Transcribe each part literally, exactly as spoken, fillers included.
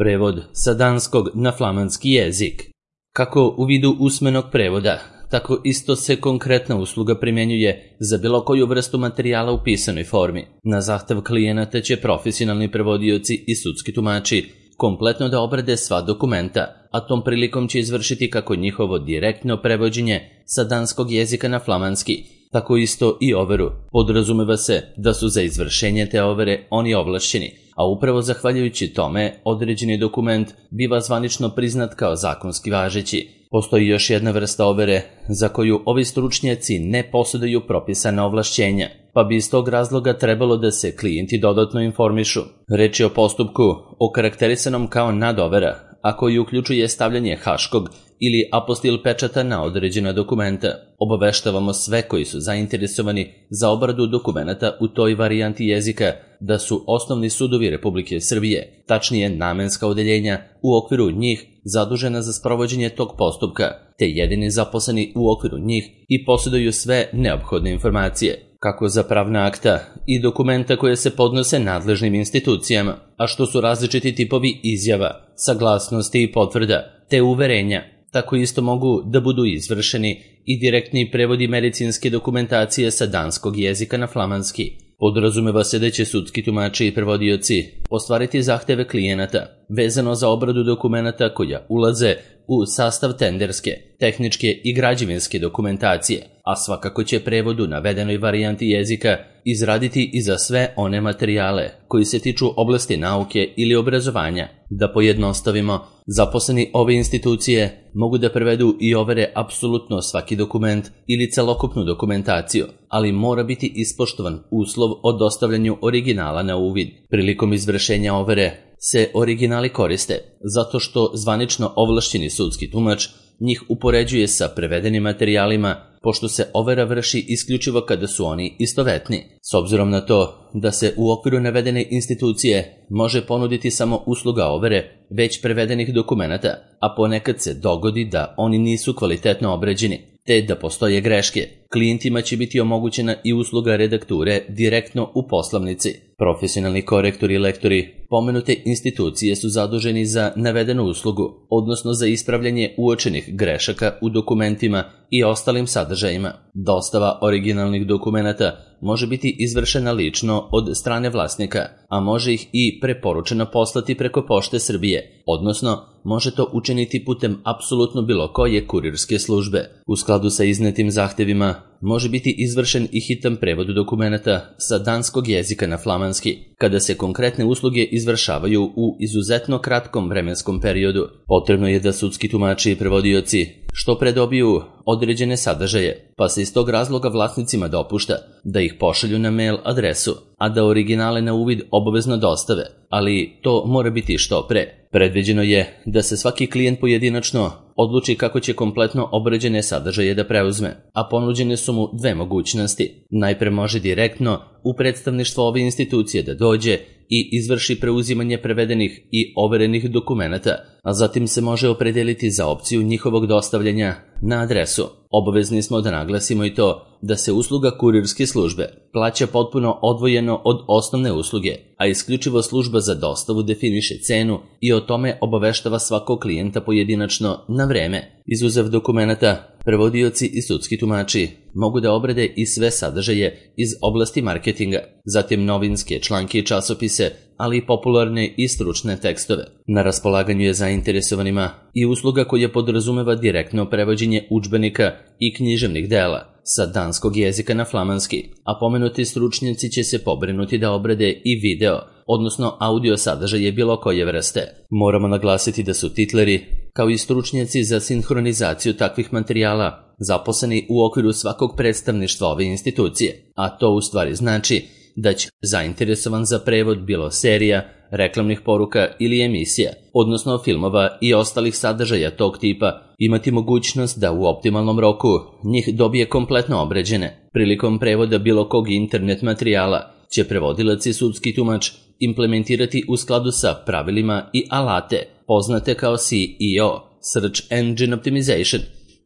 Prevod sa danskog na flamanski jezik. Kako u vidu usmenog prevoda, tako isto se konkretna usluga primjenjuje za bilo koju vrstu materijala u pisanoj formi. Na zahtev klijenata će profesionalni prevodioci i sudski tumači kompletno da obrade sva dokumenta, a tom prilikom će izvršiti kako njihovo direktno prevođenje sa danskog jezika na flamanski, tako isto i overu. Podrazumeva se da su za izvršenje te overe oni ovlašćeni, a upravo zahvaljujući tome određeni dokument biva zvanično priznat kao zakonski važeći. Postoji još jedna vrsta overe za koju ovi stručnjaci ne posjeduju propisana ovlašćenja, pa bi iz tog razloga trebalo da se klijenti dodatno informišu. Reč je o postupku okarakterisanom kao nadovera, a koji uključuje stavljanje haškog ili apostil pečata na određena dokumenta. Obaveštavamo sve koji su zainteresovani za obradu dokumenata u toj varijanti jezika da su osnovni sudovi Republike Srbije, tačnije namenska odeljenja u okviru njih zadužena za sprovođenje tog postupka, te jedini zaposleni u okviru njih i posjeduju sve neophodne informacije, kako za pravna akta i dokumenta koje se podnose nadležnim institucijama, a što su različiti tipovi izjava, saglasnosti i potvrda, te uverenja. Tako isto mogu da budu izvršeni i direktni prevodi medicinske dokumentacije sa danskog jezika na flamanski. Podrazumeva se da će sudski tumači i prevodioci ostvariti zahteve klijenata vezano za obradu dokumenata koja ulaze u sastav tenderske, tehničke i građevinske dokumentacije, a svakako će prevod u navedenoj varijanti jezika izraditi i za sve one materijale koji se tiču oblasti nauke ili obrazovanja. Da pojednostavimo, zaposleni ove institucije mogu da prevedu i overe apsolutno svaki dokument ili celokupnu dokumentaciju, ali mora biti ispoštovan uslov o dostavljanju originala na uvid. Prilikom izvršenja overe se originali koriste zato što zvanično ovlašćeni sudski tumač njih upoređuje sa prevedenim materijalima, pošto se overa vrši isključivo kada su oni istovetni. S obzirom na to da se u okviru navedene institucije može ponuditi samo usluga overe već prevedenih dokumenata, a ponekad se dogodi da oni nisu kvalitetno obrađeni, te da postoje greške, klijentima će biti omogućena i usluga redakture direktno u poslovnici. Profesionalni korektori i lektori pomenute institucije su zaduženi za navedenu uslugu, odnosno za ispravljanje uočenih grešaka u dokumentima i ostalim sadržajima. Dostava originalnih dokumenata može biti izvršena lično od strane vlasnika, a može ih i preporučeno poslati preko Pošte Srbije, odnosno može to učiniti putem apsolutno bilo koje kurirske službe. U skladu sa iznetim zahtevima može biti izvršen i hitan prevod dokumenata sa danskog jezika na flamanski, kada se konkretne usluge izvršavaju u izuzetno kratkom vremenskom periodu. Potrebno je da sudski tumači i prevodioci što pre dobiju određene sadržaje, pa se iz tog razloga vlasnicima dopušta da ih pošalju na mail adresu, a da originale na uvid obavezno dostave, ali to mora biti što pre. Predviđeno je da se svaki klijent pojedinačno odluči kako će kompletno obrađene sadržaje da preuzme, a ponuđene su mu dve mogućnosti. Najpre može direktno u predstavništvo ove institucije da dođe i izvrši preuzimanje prevedenih i overenih dokumenata, a zatim se može opredeliti za opciju njihovog dostavljanja na adresu. Obavezni smo da naglasimo i to da se usluga kurirske službe plaća potpuno odvojeno od osnovne usluge, a isključivo služba za dostavu definiše cenu i o tome obaveštava svakog klijenta pojedinačno na vreme. Izuzev dokumenata, prevodioci i sudski tumači mogu da obrade i sve sadržaje iz oblasti marketinga, zatim novinske članke i časopise, ali i popularne i stručne tekstove. Na raspolaganju je zainteresovanima i usluga koja podrazumeva direktno prevođenje udžbenika i književnih dela sa danskog jezika na flamanski, a pomenuti stručnjaci će se pobrinuti da obrade i video, odnosno audio sadržaje bilo koje vrste. Moramo naglasiti da su titleri, kao i stručnjaci za sinhronizaciju takvih materijala, zaposleni u okviru svakog predstavništva ove institucije, a to u stvari znači da će zainteresovan za prevod bilo serija, reklamnih poruka ili emisija, odnosno filmova i ostalih sadržaja tog tipa, imati mogućnost da u optimalnom roku njih dobije kompletno obrađene. Prilikom prevoda bilo kog internet materijala će prevodilac i sudski tumač implementirati u skladu sa pravilima i alate poznate kao S E O, Search Engine Optimization,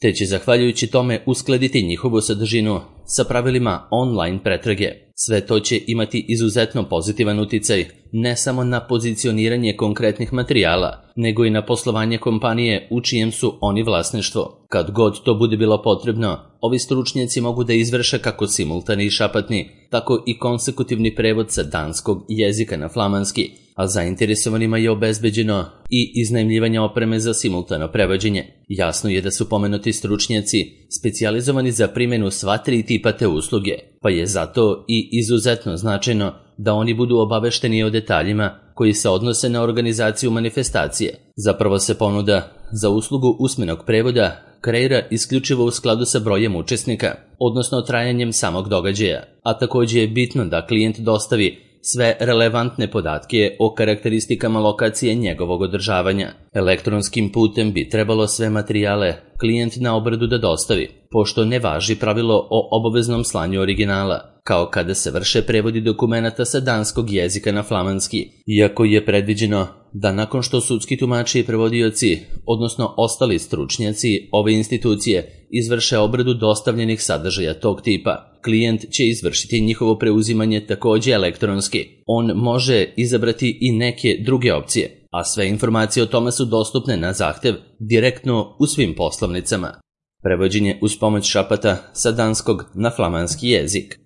te će zahvaljujući tome uskladiti njihovu sadržinu sa pravilima online pretrage. Sve to će imati izuzetno pozitivan uticaj ne samo na pozicioniranje konkretnih materijala, nego i na poslovanje kompanije u čijem su oni vlasništvo. Kad god to bude bilo potrebno, ovi stručnjaci mogu da izvrše kako simultani i šapatni, tako i konsekutivni prevod sa danskog jezika na flamanski, a zainteresovanima je obezbeđeno i iznajmljivanje opreme za simultano prevođenje. Jasno je da su pomenuti stručnjaci specijalizovani za primjenu sva tri tipa te usluge, pa je zato i izuzetno značajno da oni budu obavešteni o detaljima koji se odnose na organizaciju manifestacije. Zapravo se ponuda za uslugu usmenog prevoda kreira isključivo u skladu sa brojem učesnika, odnosno trajanjem samog događaja, a također je bitno da klijent dostavi sve relevantne podatke o karakteristikama lokacije njegovog održavanja. Elektronskim putem bi trebalo sve materijale klijent na obradu da dostavi, pošto ne važi pravilo o obaveznom slanju originala, kao kada se vrše prevodi dokumenata sa danskog jezika na flamanski, iako je predviđeno da nakon što sudski tumači i prevodioci, odnosno ostali stručnjaci ove institucije, izvrše obradu dostavljenih sadržaja tog tipa, klijent će izvršiti njihovo preuzimanje također elektronski. On može izabrati i neke druge opcije, a sve informacije o tome su dostupne na zahtev direktno u svim poslovnicama. Prevođenje uz pomoć šapata sa danskog na flamanski jezik.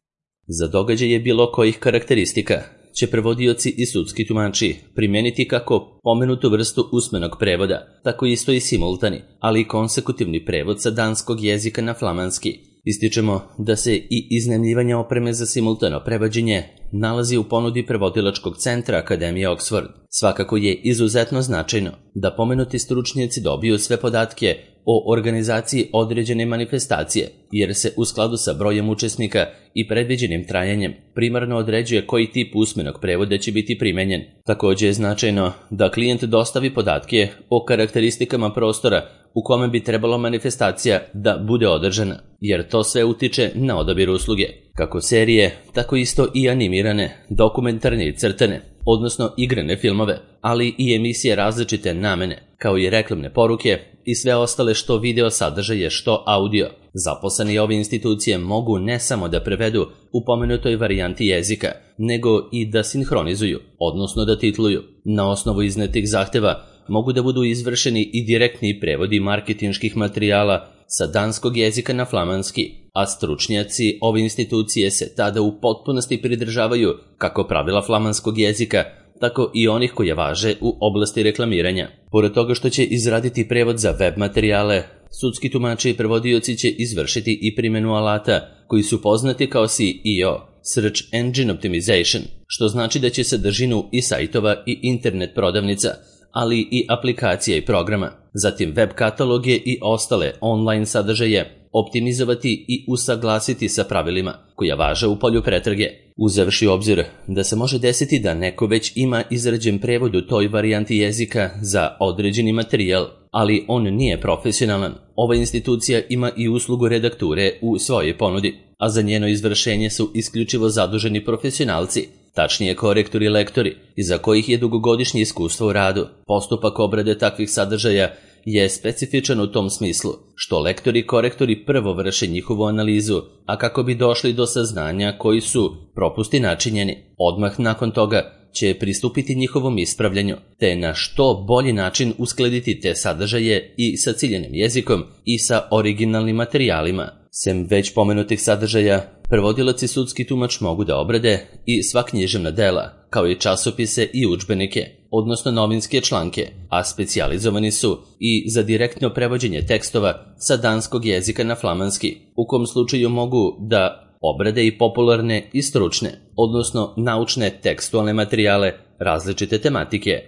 Za događaje bilo kojih karakteristika će prevodioci i sudski tumači primijeniti kako pomenutu vrstu usmenog prevoda, tako isto i simultani, ali i konsekutivni prevod sa danskog jezika na flamanski. Ističemo da se i iznajmljivanje opreme za simultano prevođenje nalazi u ponudi prevodilačkog centra Akademije Oxford. Svakako je izuzetno značajno da pomenuti stručnjaci dobiju sve podatke o organizaciji određene manifestacije, jer se u skladu sa brojem učesnika i predviđenim trajanjem primarno određuje koji tip usmenog prevoda će biti primenjen. Također je značajno da klijent dostavi podatke o karakteristikama prostora u kome bi trebalo manifestacija da bude održana, jer to sve utiče na odabir usluge, kako serije, tako isto i animirane, dokumentarne i crtane, odnosno igrane filmove, ali i emisije različite namene, kao i reklamne poruke i sve ostale što video sadržaje, što audio. Zaposleni ove institucije mogu ne samo da prevedu u pomenutoj varijanti jezika, nego i da sinhronizuju, odnosno da titluju. Na osnovu iznetih zahteva mogu da budu izvršeni i direktni prevodi marketinških materijala sa danskog jezika na flamanski, a stručnjaci ove institucije se tada u potpunosti pridržavaju kako pravila flamanskog jezika, tako i onih koje važe u oblasti reklamiranja. Pored toga što će izraditi prevod za web materijale, sudski tumači i prevodioci će izvršiti i primjenu alata koji su poznati kao S E O, Search Engine Optimization, što znači da će sadržinu i sajtova i internet prodavnica, ali i aplikacija i programa, zatim web kataloge i ostale online sadržaje optimizovati i usaglasiti sa pravilima koja važe u polju pretrage. Uzevši u obzir da se može desiti da neko već ima izrađen prevod u toj varijanti jezika za određeni materijal, ali on nije profesionalan, ova institucija ima i uslugu redakture u svojoj ponudi, a za njeno izvršenje su isključivo zaduženi profesionalci, tačnije korektori i lektori, iza kojih je dugogodišnje iskustvo u radu. Postupak obrade takvih sadržaja je specifičan u tom smislu, što lektori i korektori prvo vrše njihovu analizu, a kako bi došli do saznanja koji su propusti načinjeni. Odmah nakon toga će pristupiti njihovom ispravljanju, te na što bolji način uskladiti te sadržaje i sa ciljanim jezikom i sa originalnim materijalima. Sem već pomenutih sadržaja, prevodilac i sudski tumač mogu da obrade i sva književna dela, kao i časopise i udžbenike, odnosno novinske članke, a specijalizovani su i za direktno prevođenje tekstova sa danskog jezika na flamanski, u kom slučaju mogu da obrade i popularne i stručne, odnosno naučne tekstualne materijale različite tematike.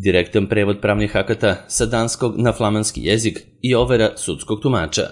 Direktan prevod pravnih akata sa danskog na flamanski jezik i overa sudskog tumača.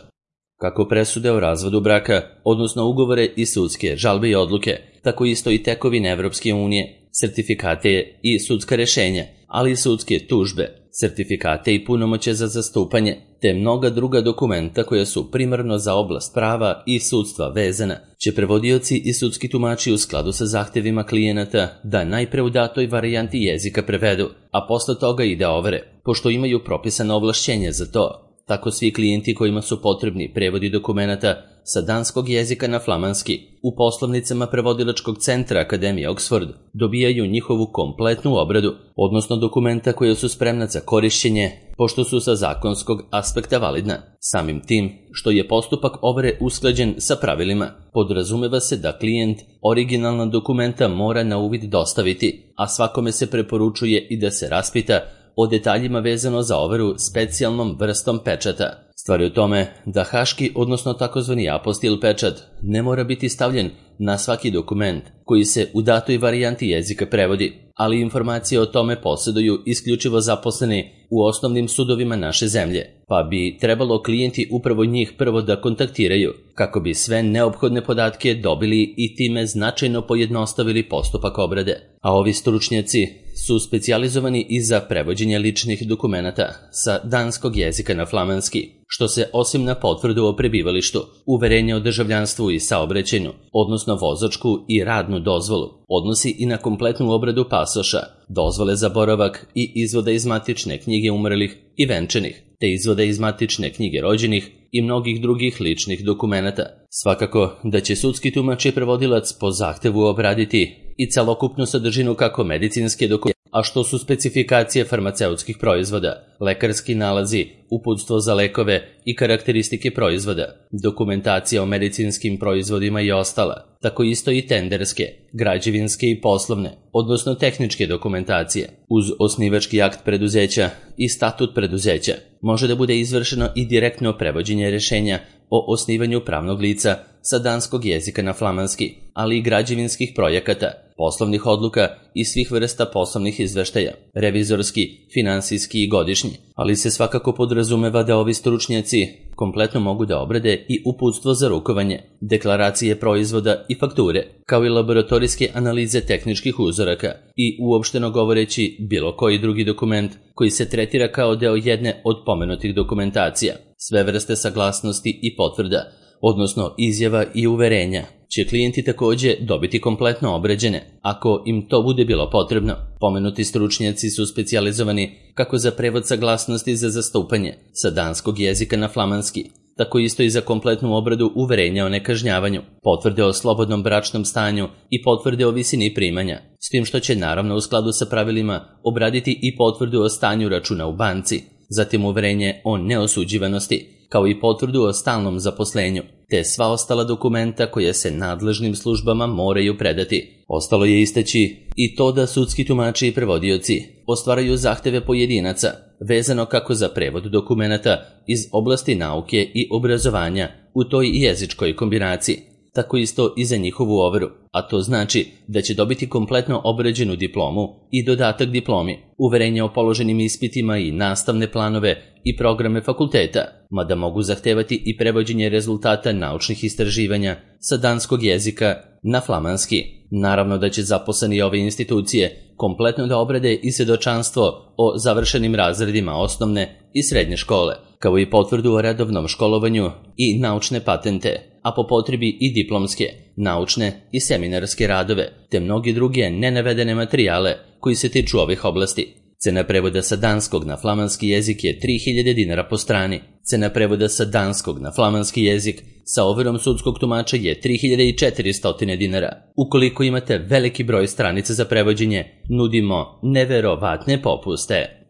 Kako presude o razvodu braka, odnosno ugovore i sudske žalbe i odluke, tako isto i tekovine Evropske unije, sertifikate i sudska rešenja, ali i sudske tužbe, sertifikate i punomoće za zastupanje, te mnoga druga dokumenta koja su primarno za oblast prava i sudstva vezana, će prevodioci i sudski tumači u skladu sa zahtevima klijenata da najpre u datoj varijanti jezika prevedu, a posle toga i da overe, pošto imaju propisano ovlašćenje za to. Tako svi klijenti kojima su potrebni prevodi dokumenata sa danskog jezika na flamanski u poslovnicama prevodilačkog centra Akademije Oxford dobijaju njihovu kompletnu obradu, odnosno dokumenta koja su spremna za korišćenje, pošto su sa zakonskog aspekta validna. Samim tim što je postupak overe usklađen sa pravilima, podrazumeva se da klijent originalna dokumenta mora na uvid dostaviti, a svakome se preporučuje i da se raspita o detaljima vezano za overu specijalnom vrstom pečata. Stvar je u tome da haški, odnosno takozvani apostil pečat, ne mora biti stavljen na svaki dokument koji se u datoj varijanti jezika prevodi, ali informacije o tome posjeduju isključivo zaposleni u osnovnim sudovima naše zemlje, pa bi trebalo klijenti upravo njih prvo da kontaktiraju kako bi sve neophodne podatke dobili i time značajno pojednostavili postupak obrade. A ovi stručnjaci su specijalizovani i za prevođenje ličnih dokumenata sa danskog jezika na flamanski, što se osim na potvrdu o prebivalištu, uverenje o državljanstvu i saobraćaju, odnosno vozačku i radnu dozvolu, odnosi i na kompletnu obradu pasoša, dozvole za boravak i izvoda iz matične knjige umrlih i venčanih, te izvoda iz matične knjige rođenih i mnogih drugih ličnih dokumenata. Svakako da će sudski tumač i prevodilac po zahtevu obraditi i celokupnu sadržinu kako medicinske dokumente, a što su specifikacije farmaceutskih proizvoda, lekarski nalazi, uputstvo za lekove i karakteristike proizvoda, dokumentacija o medicinskim proizvodima i ostala, tako isto i tenderske, građevinske i poslovne, odnosno tehničke dokumentacije. Uz osnivački akt preduzeća i statut preduzeća može da bude izvršeno i direktno prevođenje rešenja o osnivanju pravnog lica sa danskog jezika na flamanski, ali i građevinskih projekata, poslovnih odluka i svih vrsta poslovnih izveštaja, revizorski, finansijski i godišnji, ali se svakako podrazumeva da ovi stručnjaci kompletno mogu da obrade i uputstvo za rukovanje, deklaracije proizvoda i fakture, kao i laboratorijske analize tehničkih uzoraka i uopšteno govoreći bilo koji drugi dokument koji se tretira kao deo jedne od pomenutih dokumentacija. Sve vrste saglasnosti i potvrda, odnosno izjava i uverenja, će klijenti takođe dobiti kompletno obrađene, ako im to bude bilo potrebno. Pomenuti stručnjaci su specijalizovani kako za prevod saglasnosti za zastupanje sa danskog jezika na flamanski, tako isto i za kompletnu obradu uverenja o nekažnjavanju, potvrde o slobodnom bračnom stanju i potvrde o visini primanja, s tim što će naravno u skladu sa pravilima obraditi i potvrdu o stanju računa u banci, zatim uverenje o neosuđivanosti, kao i potvrdu o stalnom zaposlenju, te sva ostala dokumenta koje se nadležnim službama moraju predati. Ostalo je istaći i to da sudski tumači i prevodioci ostvaraju zahteve pojedinaca, vezano kako za prevod dokumenata iz oblasti nauke i obrazovanja u toj jezičkoj kombinaciji, tako isto i za njihovu overu, a to znači da će dobiti kompletno obrađenu diplomu i dodatak diplomi, uverenje o položenim ispitima i nastavne planove i programe fakulteta, mada mogu zahtevati i prevođenje rezultata naučnih istraživanja sa danskog jezika na flamanski. Naravno da će zaposleni ove institucije kompletno da obrade i svedočanstvo o završenim razredima osnovne i srednje škole, kao i potvrdu o redovnom školovanju i naučne patente, a po potrebi i diplomske, naučne i seminarske radove, te mnogi druge nenavedene materijale koji se tiču ovih oblasti. Cena prevoda sa danskog na flamanski jezik je tri hiljade dinara po strani. Cena prevoda sa danskog na flamanski jezik sa overom sudskog tumača je tri hiljade četiristo dinara. Ukoliko imate veliki broj stranica za prevođenje, nudimo neverovatne popuste.